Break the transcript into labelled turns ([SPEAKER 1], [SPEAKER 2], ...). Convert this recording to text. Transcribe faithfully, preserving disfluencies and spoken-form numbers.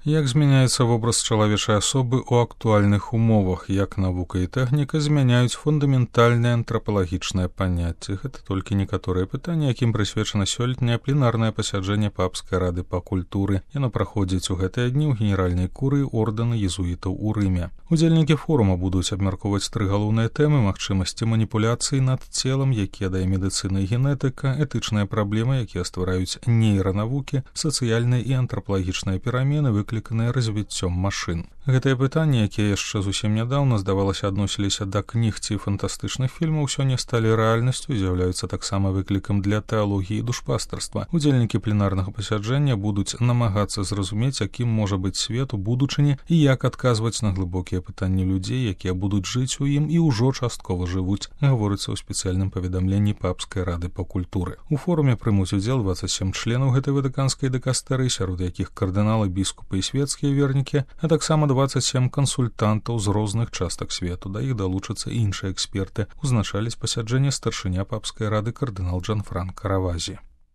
[SPEAKER 1] Як змяняецца вобраз чалавечай асобы ў актуальных умовах, як навука і тэхніка змяняюць фундаментальныя антрапалагічныя паняцці. Гэта толькі некаторыя пытанні, якім прысвечана сёлетняе пленарнае пасяджэнне Папскай рады па культуры. Яно праходзіць у гэтыя дні ў генеральнай курыі ордэна езуітаў у Рыме. Удзельнікі форума будуць абмяркоўваць тры галоўныя тэмы: магчымасці маніпуляцыі над целам, якія дае медыцына і генетыка, этычныя праблемы, якія ствараюць нейранавукі, сацыяльныя і антрапалагічныя перамены, выкліканыя развіццём машын. Гэтыя пытанні, якія яшчэ зусім нядаўна, здавалася, адносіліся да кніг ці фантастычных фільмаў, сёння сталі рэальнасцю і з'яўляюцца таксама выклікам для тэалогіі і душпастарства. Удзельнікі пленарнага пасяджэння будуць намагацца зразумець, якім можа быць свет у будучыні і як адказваць на глыбокія пытанні людзей, якія будуць жыць у ім і ўжо часткова жывуць, гаворыцца ў спецыяльным паведамленні Папскай рады па культуры. У форуме прымуць удзел дваццаць сем членаў гэтай ватыканскай дыкастэрыі, сярод якіх кардыналы, біскупы і светскія вернікі, а таксама дваццаць сем кансультантаў з розных частак свету. Да іх далучацца іншыя эксперты. Узначаліць пасяджэнне старшыня Папскай рады кардынал Джанфранка Равазі.